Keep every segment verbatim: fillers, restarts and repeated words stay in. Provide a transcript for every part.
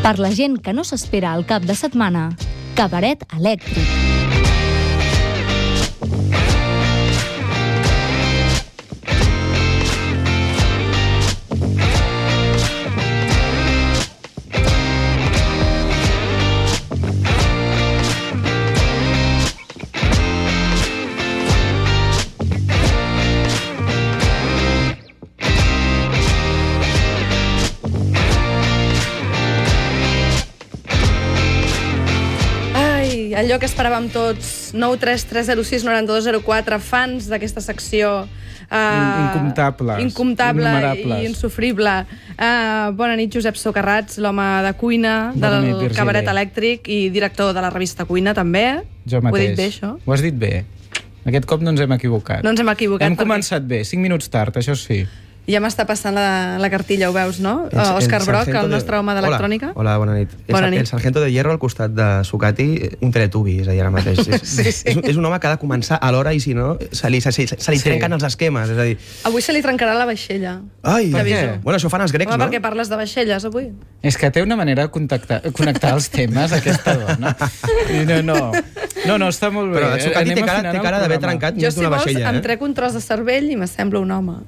Per la gent que no s'espera al cap de setmana, Cabaret Elèctric. Allò que esperàvem tots, nou tres tres zero sis nou dos zero quatre, fans d'aquesta secció uh, incomptables, incomptable i insufrible. Uh, bona nit, Josep Socarrats, l'home de cuina bona del nit, Cabaret Elèctric i director de la revista Cuina, també. Jo mateix. Ho he dit bé, això? Ho has dit bé. Aquest cop no ens hem equivocat. No ens hem equivocat. Hem perquè... començat bé, cinc minuts tard, això sí. Ja m'està passant la, la cartilla, ho veus, no? El, Òscar el Broc, el nostre home d'electrònica. Hola, hola, bona nit. Bona el, nit. El sargento de hierro al costat de Sucati, un teletubi, és a dir, ara mateix. És, sí, sí. És, és un home que ha de començar a l'hora i si no, se li, se, se, se li sí. trenquen els esquemes, és a dir... Avui se li trencarà la vaixella. Ai, per què? Bueno, això fan els grecs, home, no? Perquè parles de vaixelles, avui. És que té una manera de contactar, connectar els temes, aquesta dona. No, no, no, no està molt bé. Però el Sucati té cara, té cara d'haver trencat més d'una vaixella. Jo, si vols, eh? em trec un tros de cervell i m'assembla un home.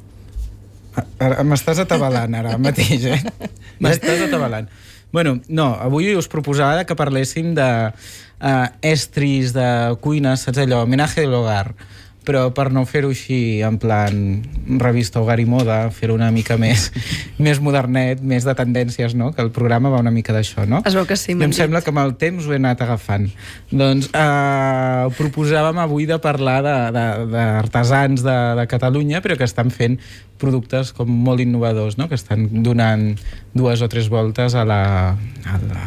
M'estàs atabalant ara mateix, eh? M'estàs atabalant. Bueno, no, avui us proposava que parléssim de uh, estris de cuina, saps allò, homenaje de l'hogar, però per no fer-ho així en plan revista Hogar i Moda, fer-ho una mica més, més modernet, més de tendències, no? Que el programa va una mica d'això, no? Es veu que sí, em sembla que amb el temps ho he anat agafant. Doncs eh, proposàvem avui de parlar d'artesans de, de, de, de Catalunya, però que estan fent productes com molt innovadors, no? Que estan donant dues o tres voltes a la... A la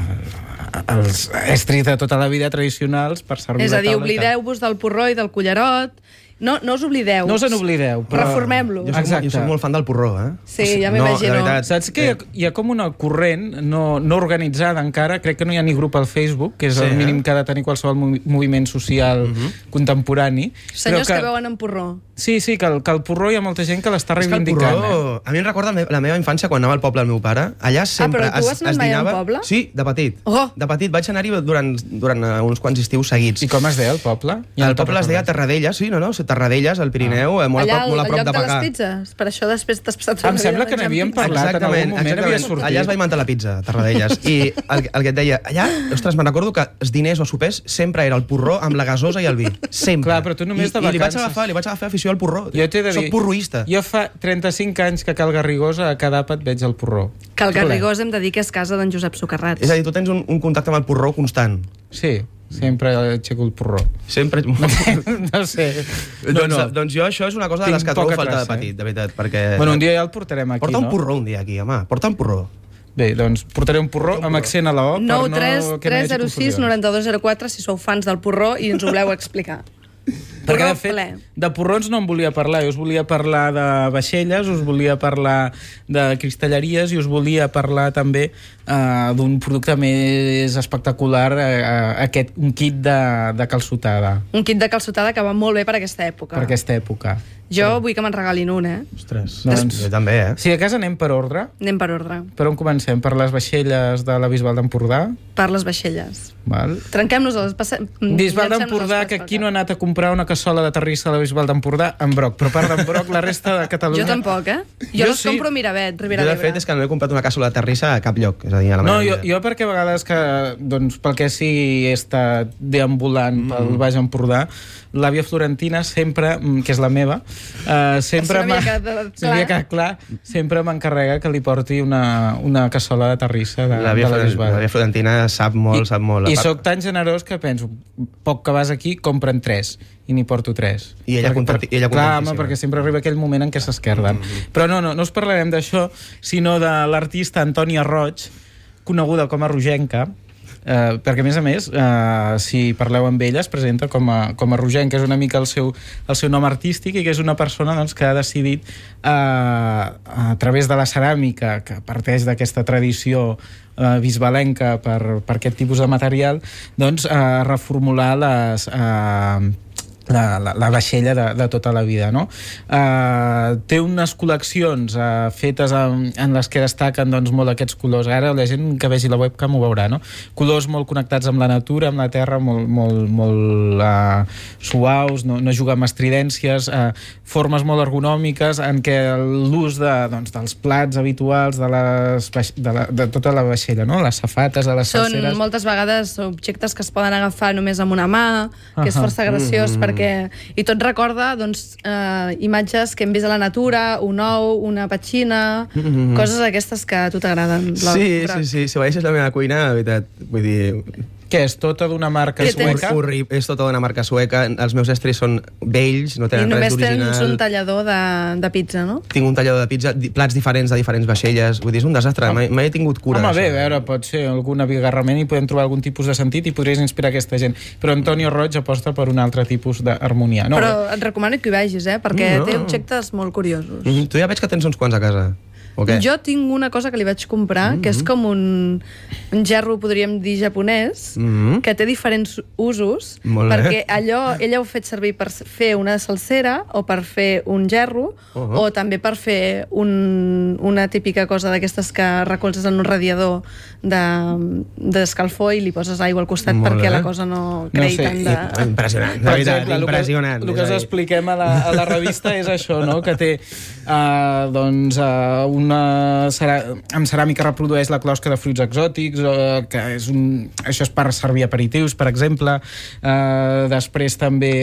als estris de tota la vida tradicionals per servir és a dir, la taula. oblideu-vos del porró i del cullerot. No, no us oblideu. No us n'oblideu. Però... Reformem-lo. Jo, jo soc molt fan del porró, eh? Sí, ja m'imagino. No, veritat, saps que hi ha, hi ha com una corrent no, no organitzada encara, crec que no hi ha ni grup al Facebook, que és sí, el mínim eh? que ha de tenir qualsevol movi moviment social uh -huh. contemporani. Senyors que, que veuen en porró. Sí, sí, que el, que el porró hi ha molta gent que l'està reivindicant. Porró, eh? A mi em recorda la meva infància quan anava al poble del meu pare. Allà sempre ah, però tu has anat es, es mai dinava... al poble? Sí, de petit. Oh. De petit vaig anar-hi durant, durant uns quants estius seguits. I com es deia el poble? Ja el poble es deia Terradellas, sí, no, no? Terradellas, al Pirineu, ah. molt, allà, a prop, molt a prop de Pagà. Allà al lloc de les pizzas? Per això després t'has passat... Em sembla que n'havíem parlat en algun moment, havia sortit. Allà es va inventar la pizza, Terradellas. I el, el que et deia, allà, ostres, me'n recordo que els diners o sopers sempre era el porró amb la gasosa i el vi. Sempre. Clar, però tu només de I, i li vaig vacances. agafar, li vaig agafar afició al porró. Jo t'he de dir, soc porroista. Jo fa trenta-cinc anys que a Cal Garrigós a cada àpat veig el porró. Cal Garrigós hem de dir que és casa d'en Josep Socarrats. És a dir, tu tens un, un contacte amb el porró constant. Sí, sempre aixeco el porró. Sempre... no sé. No, no. Doncs, doncs jo això és una cosa de les que trobo falta de petit, de veritat, perquè... Bueno, un dia ja el portarem aquí, Porta no? un porró un dia aquí, home. Porta un porró. Bé, doncs portaré un porró amb accent a la O per no nou tres tres zero sis nou dos zero quatre si sou fans del porró i ens ho voleu explicar. Perquè, de fet, de porrons no em volia parlar. Jo us volia parlar de vaixelles, us volia parlar de cristalleries i us volia parlar també uh, d'un producte més espectacular, uh, aquest, un kit de, de calçotada. Un kit de calçotada que va molt bé per aquesta època. Per aquesta època. Jo sí. vull que me'n regalin un, eh? Ostres, doncs... jo també, eh? Si a casa anem per ordre. Anem per ordre. Per on comencem? Per les vaixelles de la Bisbal d'Empordà? Per les vaixelles. Val. Trenquem-nos els... Passe... Bisbal d'Empordà, que aquí no ha anat a comprar una cassola de terrissa a la Bisbal d'Empordà en broc, però a part d'en broc, la resta de Catalunya... Jo tampoc, eh? Jo, jo les sí. compro a Miravet, Ribera d'Ebre. Jo, de fet, és que no he comprat una cassola de terrissa a cap lloc. És a dir, a la no, jo, jo perquè a vegades que, doncs, pel que sigui he estat deambulant mm. pel Baix Empordà, l'àvia Florentina sempre, que és la meva, uh, sempre m'havia quedat clar, sempre m'encarrega que li porti una, una cassola de terrissa de, de la Bisbal. L'àvia Florentina sap molt, I, sap molt. I sóc tan generós que penso, poc que vas aquí, compren tres, i n'hi porto tres. I ella, perquè, per, ella clar, home, perquè sempre arriba aquell moment en què s'esquerden. Mm -hmm. Però no, no, no us parlarem d'això, sinó de l'artista Antònia Roig, coneguda com a Rogenca, Uh, perquè a més a més uh, si parleu amb ella es presenta com a, com a Rogenca, és una mica el seu, el seu nom artístic, i que és una persona doncs, que ha decidit uh, a través de la ceràmica, que parteix d'aquesta tradició uh, bisbalenca per, per aquest tipus de material, doncs uh, reformular les... Uh, La, la, la vaixella de, de tota la vida, no? Uh, té unes col·leccions uh, fetes en, en les que destaquen doncs, molt aquests colors. Ara la gent que vegi la webcam ho veurà, no? Colors molt connectats amb la natura, amb la terra, molt, molt, molt uh, suaus, no, no juga amb estridències, uh, formes molt ergonòmiques en què l'ús de, doncs, dels plats habituals de, les, de, la, de tota la vaixella, no? Les safates, de les Són salseres... moltes vegades objectes que es poden agafar només amb una mà, que és Ahà. força graciós, Mm. perquè i tot recorda doncs, eh, imatges que hem vist a la natura, un ou, una petxina, Mm-hmm. coses aquestes que a tu t'agraden. Blau, Sí, groc. sí, sí. Si veies la meva cuina, de veritat, vull dir... Què és? Tota d'una marca Què tens? sueca? Horri, és tota una marca sueca. Els meus estris són vells, no I tenen res només tens un d'original. tallador de, de pizza, no? Tinc un tallador de pizza, di- plats diferents de diferents vaixelles. Vull dir, és un desastre. Mai, mai he tingut cura Home, bé, d'això. a veure, pot ser algun abigarrament i podem trobar algun tipus de sentit i podries inspirar aquesta gent. Però Antonio Roig aposta per un altre tipus d'harmonia. No, Però et recomano que hi vagis, eh? Perquè No. té objectes molt curiosos. Mm -hmm. Tu ja veig que tens uns quants a casa. O què? Jo tinc una cosa que li vaig comprar, mm -hmm. que és com un, un gerro, podríem dir, japonès, Mm -hmm. que té diferents usos, Molt bé. perquè allò ella ho ha fet servir per fer una salsera o per fer un gerro, Uh -huh. o també per fer un, una típica cosa d'aquestes que recolzes en un radiador d'escalfor de, i li poses aigua al costat Molt perquè bé. la cosa no creï sé, tant i- de... Impressionant, de Per veritat, exemple, el que- impressionant. El que us És a dir, expliquem a la, a la revista és això, no? Que té uh, doncs, uh, una cerà... amb ceràmica reprodueix la closca de fruits exòtics, uh, que és un... això és per servir aperitius, per exemple. Uh, després també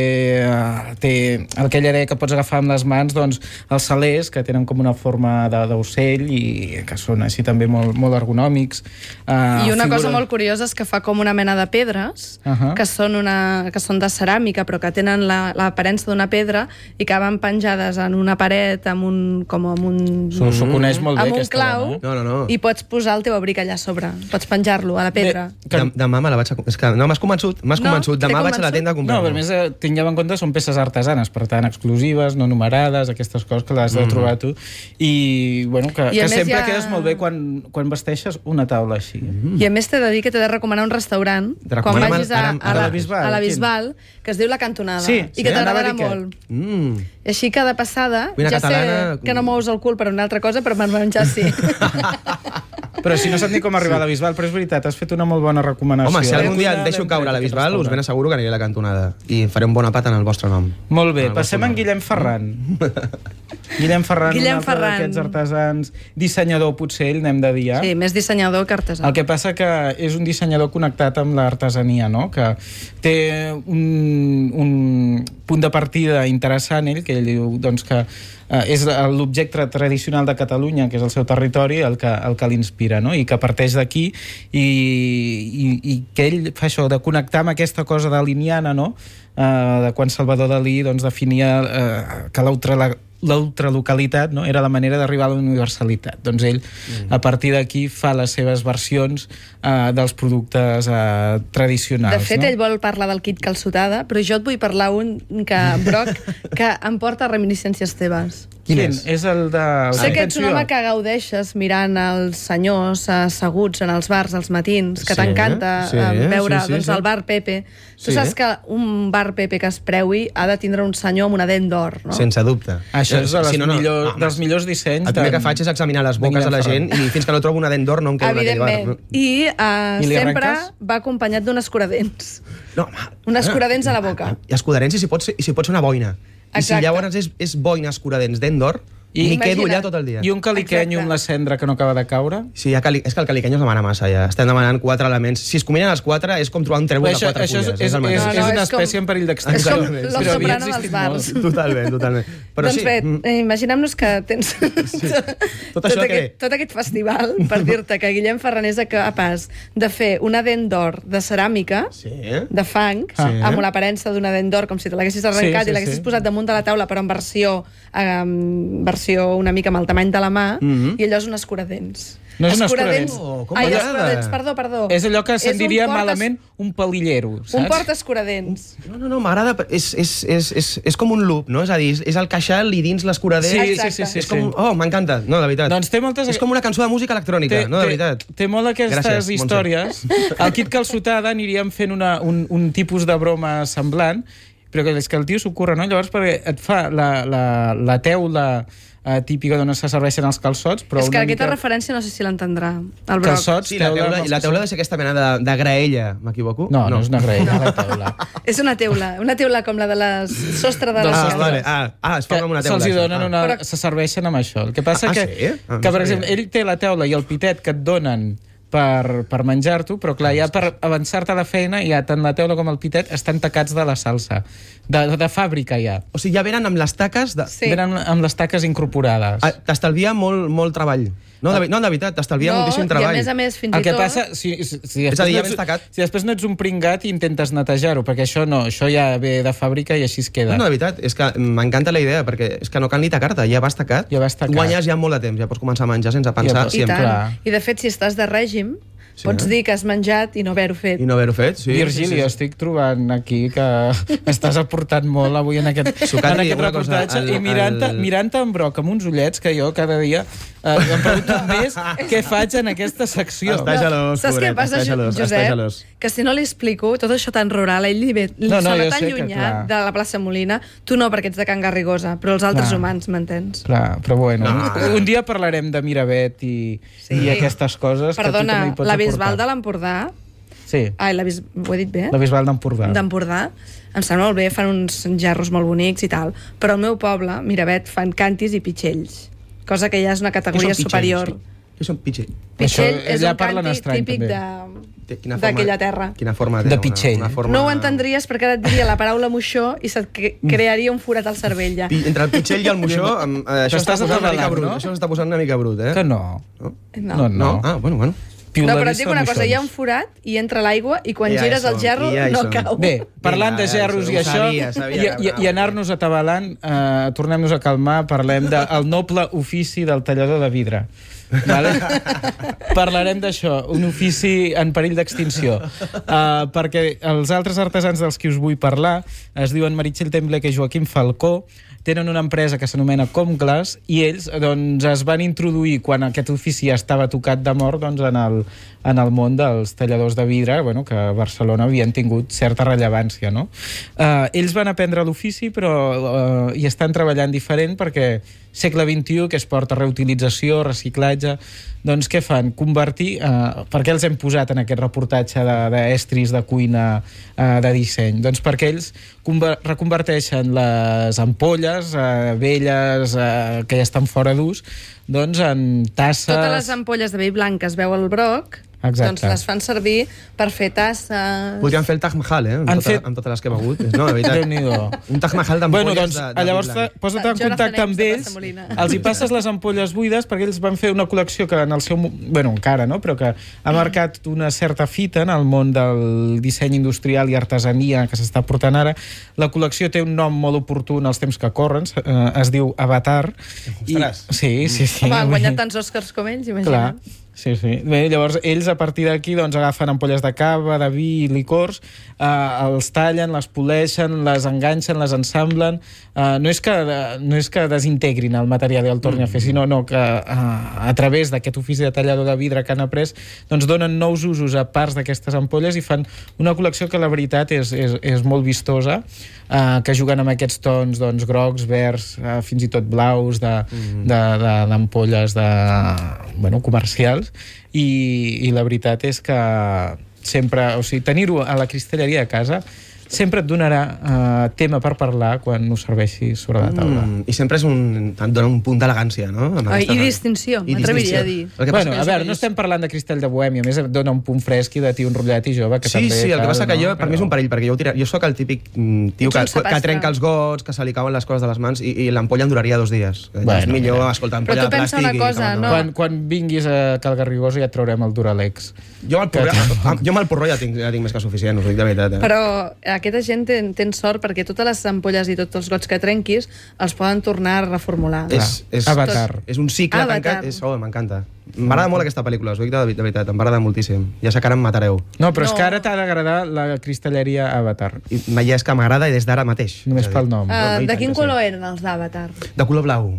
uh, té el que ella deia que pots agafar amb les mans, doncs els salers, que tenen com una forma de- d'ocell i que són així també molt, molt ergonòmics. Uh, I una figura... cosa molt curiosa és que fa com una mena de pedres, Ahà. que, són una, que són de ceràmica, però que tenen la- l'aparença d'una pedra i que van penjades en una paret amb un, com amb un, S'ho s'ho coneix molt bé, amb un aquesta clau, dona, eh? No, no, no. i pots posar el teu abric allà a sobre. Pots penjar-lo a la pedra. Bé, que... Dem- Demà me la vaig a... És que no, m'has convençut, m'has No? convençut. T'he Demà vaig a la convençut? tenda a comprar. No, però a més, eh, tingueu en compte, són peces artesanes, per tant, exclusives, no numerades, aquestes coses que les has de trobar tu. I, bueno, que, I a que més sempre hi ha- quedes molt bé quan, quan vesteixes una taula així. I a més t'he de dir que t'he de recomanar un restaurant Te quan recomanem vagis a, ara- a, ara la, a la Bisbal, a la quin? Bisbal, que es diu La Cantonada, Sí, i sí, que anava a t'agradarà dir què? molt. Mm. I així que de passada, Cuina ja catalana- sé que no mous el cul per una altra cosa, però per menjar sí. Però si no saps ni com arribar a la Bisbal, però és veritat, has fet una molt bona recomanació. Home, si Eh? algun dia Cuina et deixo l'hem caure a la tret, aquest Bisbal, us ben restaurant. asseguro que aniré a la cantonada i faré un bon apat en el vostre nom. Molt bé, En el passem vostre en nom. Guillem Ferran. Guillem Ferran, Guillem un altre Ferran. d'aquests artesans, dissenyador potser, ell n'hem de dir, eh? Sí, més dissenyador que artesà. El que passa que és un dissenyador connectat amb l'artesania, no? Que té un, un punt de partida interessant, ell, que ell diu doncs, que eh, és l'objecte tradicional de Catalunya, que és el seu territori, el que, el que l'inspira, no? I que parteix d'aquí i, i, i que ell fa això de connectar amb aquesta cosa daliniana, no? Eh, de quan Salvador Dalí doncs, definia eh, que l'ultra l'ultralocalitat, no? Era la manera d'arribar a la universalitat. Doncs ell, mm. a partir d'aquí, fa les seves versions eh, dels productes eh, tradicionals. De fet, no? ell vol parlar del kit calçotada, però jo et vull parlar un que, Broc, que em porta reminiscències teves. Quin, Quin és? és? És el de... Sé que ets un Atenció. home que gaudeixes mirant els senyors asseguts en els bars als matins, que Sí, t'encanta sí, eh, veure sí, sí, doncs, sí. el bar Pepe. Tu Sí. saps que un bar Pepe que es preui ha de tindre un senyor amb una dent d'or, no? Sense dubte. Això és de les Si no, no. millor, Home, dels millors dissenys. El primer de- que faig és examinar les de boques de la Guillem gent i fins que no trobo una dent d'or no em quedo en aquell bar. Evidentment. I, uh, I li sempre arrenques? va acompanyat d'un escuradents. No, home, Un escuradents a la boca. I escuradents i si pot ser, i si pot ser una boina. I si Exacte. llavors és, és boina escuradents dent d'or, I- m'hi quedo Imagina't. allà tot el dia. I un caliquenyo Exacte. amb la cendra que no acaba de caure. Sí, ja cali... és que el caliquenyo es demana massa, ja. Estem demanant quatre elements. Si es combinen els quatre, és com trobar un trèvol de això, quatre això és, fulles. és, el és, mateix. No, és no, una és com- espècie en perill és d'extinció. com Però Los havia Soprano dels existit bars. molt. Totalment, totalment. Però doncs sí, bé, mm, eh, imaginem-nos que tens sí. Tot tot, això que aquest, ve. tot aquest festival per dir-te que Guillem Ferran és capaç de fer una dent d'or de ceràmica, sí. de fang, Sí. amb l'aparença d'una dent d'or, com si te l'haguessis arrencat Sí, sí, i l'haguessis sí. posat damunt de la taula, però en versió, eh, versió una mica amb el tamany de la mà, Mhm. i allò és un escuradents. No és un Escuradents- escuradents. Oh, com Ai, m'agrada. escuradents, perdó, perdó. És allò que se'n un diria porta- malament un palillero, saps? Un porta-escuradents. No, no, no, m'agrada. És, és, és, és, és com un loop, no? És a dir, és, és el queixal i dins l'escuradent. Sí, sí, Exacte. sí, sí, És sí. com... Oh, m'encanta. No, de veritat. Doncs té moltes... És com una cançó de música electrònica, no, de veritat. Té, té molt aquestes Gràcies, històries. Al Kit Calçotada aniríem fent una, un, un tipus de broma semblant, però que és que el tio s'ho curra, no? Llavors, perquè et fa la, la, la teula eh, típica d'on se serveixen els calçots, però és que una aquesta mica... referència no sé si l'entendrà, el broc. Calçots, Sí, la teula, i la teula ha de ser aquesta mena de, de graella, m'equivoco? No, no, no és una graella, la teula. És una teula, una teula com la de les sostre de Del les... Ah, sostre. vale. ah, ah, es fa com una teula. Se'ls hi això. donen Ah. una... Però- Se serveixen amb això. El que passa Ah, que, sí? Ah, no que per sabia. exemple, ell té la teula i el pitet que et donen per, per menjar-t'ho, però clar, ja per avançar-te a la feina, ja tant la teula com el pitet estan tacats de la salsa. De, de fàbrica, ja. O sigui, ja venen amb les taques... De... Sí. Venen amb les taques incorporades. Ah, t'estalvia molt, molt treball. No, de, no, de veritat, t'estalvia No, moltíssim i treball. a més a més, fins El i que tot... passa, si, si, si, És a dir, ja després vens no tacat. ets, si després no ets un pringat i intentes netejar-ho, perquè això no, això ja ve de fàbrica i així es queda. No, no, de veritat, és que m'encanta la idea, perquè és que no cal ni tacar-te, ja vas tacat, Ja vas tacat. guanyes ja molt de temps, ja pots començar a menjar sense pensar Ja, I sempre. tant. clar. I de fet, si estàs de règim, Sí, pots eh? dir que has menjat i no haver-ho fet. I no haver-ho fet, sí. Virgili, sí, sí. estic trobant aquí que estàs aportant molt avui en aquest, Sucatri, en aquest una cosa, reportatge el- i mirant-te el- mirant en broc amb uns ullets que jo cada dia eh, em pregunto més què faig en aquesta secció. Està gelós, Saps què pobret, passa, està gelós, està Josep? gelós. Que si no li explico tot això tan rural, a ell li ve, li No, no, sona jo tan sé que, llunyà clar. de la plaça Molina, tu no, perquè ets de Can Garrigosa, però els altres Clar. humans, m'entens? Clar, però bueno, No. un, un dia parlarem de Miravet i, Sí. i aquestes coses que tu Perdona, també hi pots la Bisbal aportar. de l'Empordà... Sí, Ai, la Bis... ho he dit bé? la Bisbal d'Empordà. D'Empordà, em sembla molt bé, fan uns gerros molt bonics i tal, però al meu poble, Miravet, fan cantis i pitxells, cosa que ja és una Què categoria són pitxells? superior. Què són pitxell? Pitxell Això, és allà un parlen canti estrany, típic també. de- Quina forma- d'aquella terra. Quina forma té? De una- pitxell. Una forma... No ho entendries perquè ara et diria la paraula moixó i se't cre- crearia un forat al cervell, ja. Pi- Entre el pitxell i el moixó, em, eh, això T'estàs està posant una mica atabalant, brut. no? Això s'està posant una mica brut, eh? Que no. No? No, no. No? Ah, bueno, bueno. No, però et dic una cosa, hi ha un forat i entra l'aigua i quan Ja hi gires el som, gerro ja hi no som. cau. Bé, parlant Vinga, de gerros ja, i ho això, sabia, sabia i, que i, anava. i anar-nos atabalant, eh, tornem-nos a calmar, parlem del noble ofici del tallador de vidre. Vale? Parlarem d'això, un ofici en perill d'extinció. Uh, perquè els altres artesans dels qui us vull parlar es diuen Meritxell Temble i Joaquim Falcó, tenen una empresa que s'anomena Comglass i ells doncs, es van introduir quan aquest ofici ja estava tocat de mort doncs, en, el, en el món dels talladors de vidre, bueno, que a Barcelona havien tingut certa rellevància. No? Uh, ells van aprendre l'ofici però uh, hi estan treballant diferent perquè segle vint-i-u, que es porta reutilització, reciclatge, doncs què fan? Convertir... Eh, per què els hem posat en aquest reportatge d'estris de, de cuina, eh, de disseny? Doncs perquè ells reconverteixen les ampolles eh, velles eh, que ja estan fora d'ús doncs en tasses... Totes les ampolles de vi blanc que es veu al broc, Exacte. doncs les fan servir per fer tasses... Podríem fer el Taj Mahal, eh? Amb, Han tota, fet- amb totes les que he begut. No, de veritat. Déu-n'hi-do. Un Taj Mahal Bueno, d'ampolles doncs, de, de llavors vi blanc. posa't en Jonathan contacte amb Ives de ells, Plaça Molina. els hi passes les ampolles buides perquè ells van fer una col·lecció que en el seu... mo- Bueno, encara, no? Però que ha marcat una certa fita en el món del disseny industrial i artesania que s'està portant ara. La col·lecció té un nom molt oportú en els temps que corren, eh, es diu Avatar. Ostres. Sí, sí, sí. Home, han guanyat tants Oscars com ells, Clar, imagina't. sí, sí. Bé, llavors, ells a partir d'aquí doncs, agafen ampolles de cava, de vi i licors, eh, els tallen, les poleixen, les enganxen, les ensamblen. Eh, no, és que, no és que desintegrin el material i el tornin a fer, sinó no, que eh, a través d'aquest ofici de tallador de vidre que han après, doncs donen nous usos a parts d'aquestes ampolles i fan una col·lecció que la veritat és, és, és molt vistosa, eh, que juguen amb aquests tons doncs, grocs, verds, eh, fins i tot blaus, d'ampolles de, de, d'ampolles de, bueno, comercials, i, i la veritat és que sempre, o sigui, tenir-ho a la cristalleria de casa sempre et donarà uh, tema per parlar quan ho serveixis sobre la taula. Mm, I sempre és un, et dona un punt d'elegància, no? Amb Ai, aquesta- i distinció, I m'atreviria distinció. a dir. El que passa Bueno, que a jo veure, soc- no estem parlant de cristall de bohèmia, a més et dona un punt fresc i de tio enrotllat i jove, que Sí, també sí, el que cal, passa que jo, no? per mi és un perill, perquè jo, ho tira... jo sóc el típic mm, tio Ets que, un que sapastre. trenca els gots, que se li cauen les coses de les mans, i, i l'ampolla em duraria dos dies. Bueno, és millor, mira. escolta, Però ampolla tu de pensa plàstic... una i cosa, com- no? Quan, quan vinguis a Cal Garrigosa ja et traurem el Duralex. Jo amb el porró, jo amb el porró ja tinc, ja tinc més que suficient, us ho dic de veritat. Eh? Però aquesta gent ten, ten sort perquè totes les ampolles i tots els gots que trenquis els poden tornar a reformular. És, és, Avatar. és un cicle Avatar. tancat. És, oh, m'encanta. M'agrada molt aquesta pel·lícula, us ho dic de, de veritat, m'agrada moltíssim. Ja sé que ara em matareu. No, però no. és No. que ara t'ha d'agradar la cristalleria Avatar. I ja és que m'agrada des d'ara mateix. Només És a dir, pel nom. Uh, no, i de tant quin que sí. color eren els d'Avatar? De color blau.